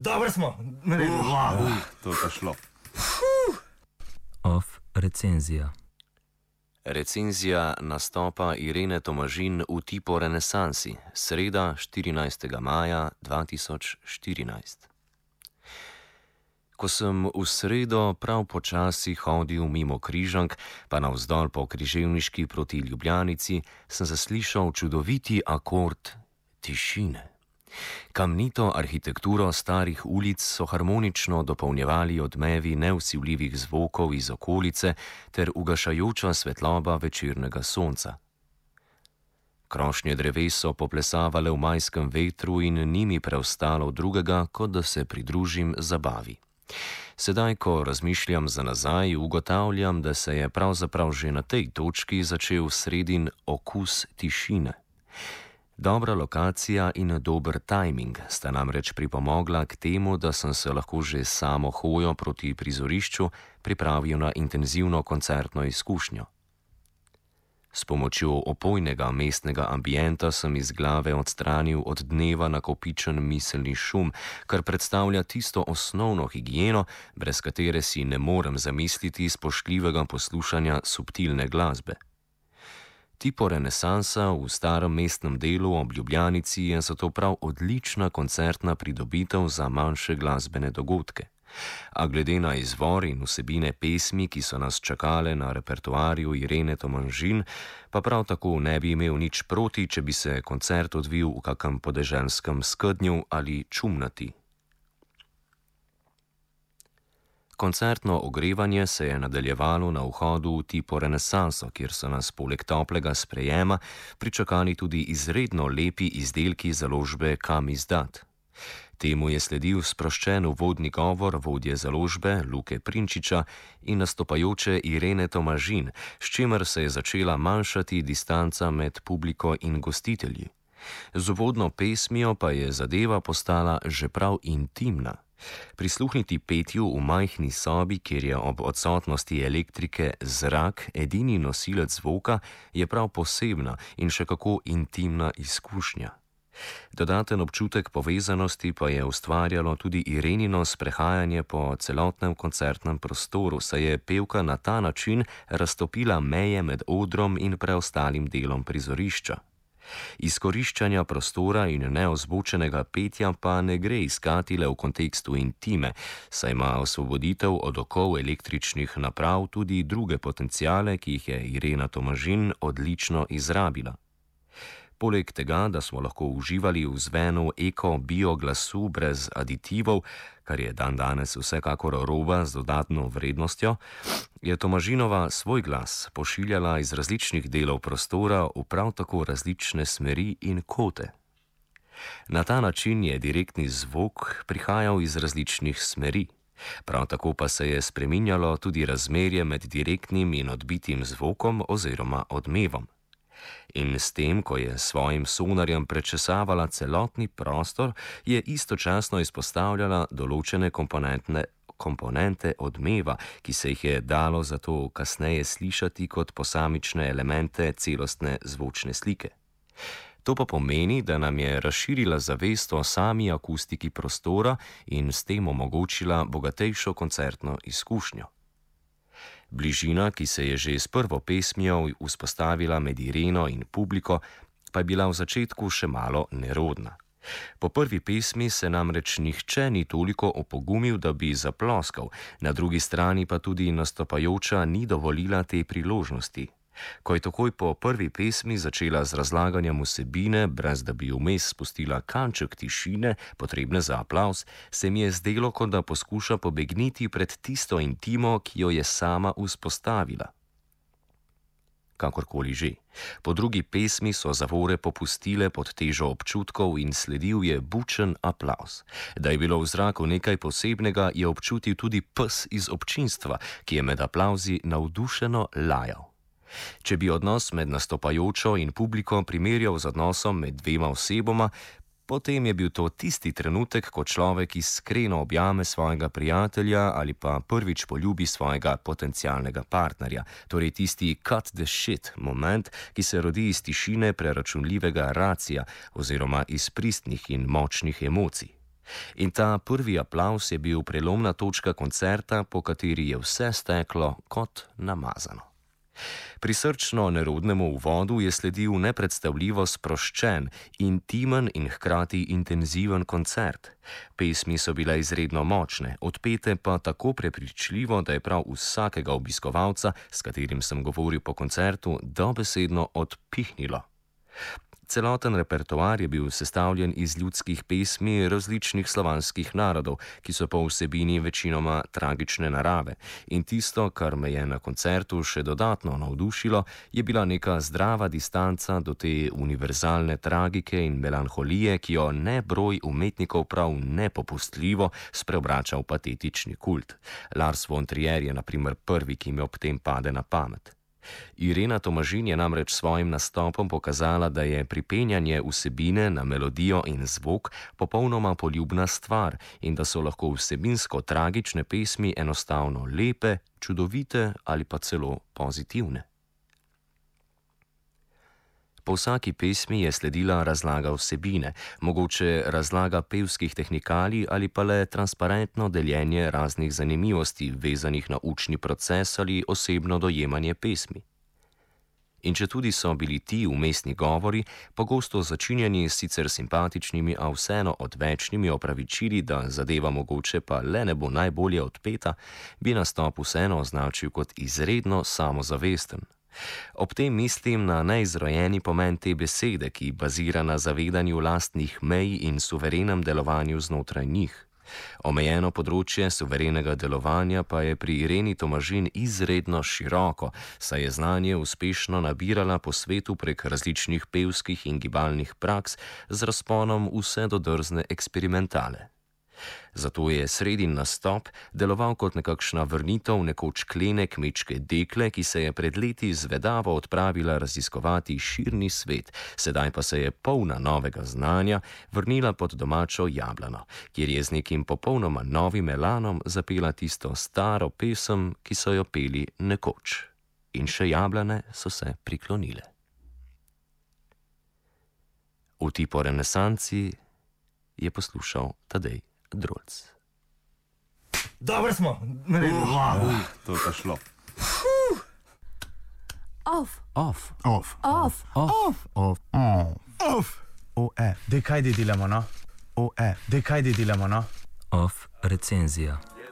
Dobro smo, naredili. To je šlo. Off recenzija. Recenzija nastopa Irene Tomažin v Tipo Renesansi, sreda 14. maja 2014. Ko sem v sredo prav počasi hodil mimo Križank, pa navzdol po Križevniški proti Ljubljanici, sem zaslišal čudoviti akord tišine. Kamnito arhitekturo starih ulic so harmonično dopolnjevali odmevi nevsivljivih zvokov iz okolice ter ugašajoča svetloba večernega sonca. Krošnje dreves so poplesavale v majskem vetru in ni mi preostalo drugega, kot da se pridružim zabavi. Sedaj, ko razmišljam za nazaj, ugotavljam, da se je pravzaprav že na tej točki začel sredin okus tišine. Dobra lokacija in dober tajming sta namreč pripomogla k temu, da sem se lahko že samo hojo proti prizorišču pripravil na intenzivno koncertno izkušnjo. S pomočjo opojnega mestnega ambienta sem iz glave odstranil od dneva nakopičen miselni šum, kar predstavlja tisto osnovno higieno, brez katere si ne morem zamisliti spoštljivega poslušanja subtilne glasbe. Tipo Renesansa v starem mestnem delu ob Ljubljanici je zato prav odlična koncertna pridobitev za manjše glasbene dogodke. A glede na izvor in vsebine pesmi, ki so nas čakale na repertoarju Irene Tomažin, pa prav tako ne bi imel nič proti, če bi se koncert odvil v kakem podeželskem Skednju ali Čumnati. Koncertno ogrevanje se je nadaljevalo na vhodu v Tipo Renesanso, kjer so nas poleg toplega sprejema pričakali tudi izredno lepi izdelki založbe Kam izdat. Temu je sledil sproščen uvodni govor vodje založbe Luke Prinčiča in nastopajoče Irene Tomažin, s čimer se je začela manjšati distanca med publiko in gostitelji. Z uvodno pesmijo pa je zadeva postala že prav intimna. Prisluhniti petju v majhni sobi, kjer je ob odsotnosti elektrike zrak edini nosilec zvoka, je prav posebna in še kako intimna izkušnja. Dodaten občutek povezanosti pa je ustvarjalo tudi Irenino sprehajanje po celotnem koncertnem prostoru, saj je pevka na ta način raztopila meje med odrom in preostalim delom prizorišča. Izkoriščanja prostora in neozvočenega petja pa ne gre iskati le v kontekstu intime, saj ima osvoboditev od okov električnih naprav tudi druge potenciale, ki jih je Irena Tomažin odlično izrabila. Poleg tega, da smo lahko uživali v zvenu eko-bio glasu brez aditivov, kar je dandanes vsekakor roba z dodatno vrednostjo, je Tomažinova svoj glas pošiljala iz različnih delov prostora v prav tako različne smeri in kote. Na ta način je direktni zvok prihajal iz različnih smeri. Prav tako pa se je spreminjalo tudi razmerje med direktnim in odbitim zvokom oziroma odmevom. In s tem, ko je svojim sonarjem prečesavala celotni prostor, je istočasno izpostavljala določene komponente odmeva, ki se jih je dalo zato kasneje slišati kot posamične elemente celostne zvočne slike. To pa pomeni, da nam je razširila zavest o sami akustiki prostora in s tem omogočila bogatejšo koncertno izkušnjo. Bližina, ki se je že s prvo pesmijo vzpostavila med Ireno in publiko, pa je bila v začetku še malo nerodna. Po prvi pesmi se namreč nihče ni toliko opogumil, da bi zaploskal, na drugi strani pa tudi nastopajoča ni dovolila te priložnosti. Ko je takoj po prvi pesmi začela z razlaganjem vsebine, brez da bi vmes spustila kanček tišine, potrebne za aplavz, se mi je zdelo, kot da poskuša pobegniti pred tisto intimo, ki jo je sama vzpostavila. Kakorkoli že. Po drugi pesmi so zavore popustile pod težo občutkov in sledil je bučen aplavz. Da je bilo v zraku nekaj posebnega, je občutil tudi pes iz občinstva, ki je med aplavzi navdušeno lajal. Če bi odnos med nastopajočo in publiko primerjal z odnosom med dvema osebama, potem je bil to tisti trenutek, ko človek iskreno objame svojega prijatelja ali pa prvič poljubi svojega potencialnega partnerja, torej tisti cut the shit moment, ki se rodi iz tišine preračunljivega racija oziroma iz pristnih in močnih emocij. In ta prvi aplavz je bil prelomna točka koncerta, po kateri je vse steklo kot namazano. Prisrčno nerodnemu uvodu je sledil nepredstavljivo sproščen, intimen in hkrati intenziven koncert. Pesmi so bile izredno močne, odpete pa tako prepričljivo, da je prav vsakega obiskovalca, s katerim sem govoril po koncertu, dobesedno odpihnilo. Celoten repertoar je bil sestavljen iz ljudskih pesmi različnih slovanskih narodov, ki so po vsebini večinoma tragične narave. In tisto, kar me je na koncertu še dodatno navdušilo, je bila neka zdrava distanca do te univerzalne tragike in melanholije, ki jo nebroj umetnikov prav nepopustljivo spreobrača v patetični kult. Lars von Trier je na primer prvi, ki mi ob tem pade na pamet. Irena Tomažin je namreč svojim nastopom pokazala, da je pripenjanje vsebine na melodijo in zvok popolnoma poljubna stvar in da so lahko vsebinsko tragične pesmi enostavno lepe, čudovite ali pa celo pozitivne. Po vsaki pesmi je sledila razlaga vsebine, mogoče razlaga pevskih tehnikalij ali pa le transparentno deljenje raznih zanimivosti, vezanih na učni proces ali osebno dojemanje pesmi. In četudi so bili ti vmesni govori pogosto začinjeni s sicer simpatičnimi, a vseeno odvečnimi opravičili, da zadeva mogoče pa le ne bo najbolje odpeta, bi nastop vseeno označil kot izredno samozavesten. Ob tem mislim na neizrojeni pomen te besede, ki bazira na zavedanju lastnih mej in suverenem delovanju znotraj njih. Omejeno področje suverenega delovanja pa je pri Ireni Tomažin izredno široko, saj je znanje uspešno nabirala po svetu prek različnih pevskih in gibalnih praks z razponom vse do drzne eksperimentale. Zato je sredin nastop deloval kot nekakšna vrnitev nekoč klene kmečke dekle, ki se je pred leti zvedavo odpravila raziskovati širni svet, sedaj pa se je polna novega znanja vrnila pod domačo Jablano, kjer je z nekim popolnoma novim elanom zapela tisto staro pesem, ki so jo peli nekoč. In še jablane so se priklonile. V tipo renesanci je poslušal Tadej Drolc. Dobro smo, To je pa šlo. Off. Off. Off. OF. Dej kaj delamo, no? OF. Dej kaj delamo, no? Off recenzija.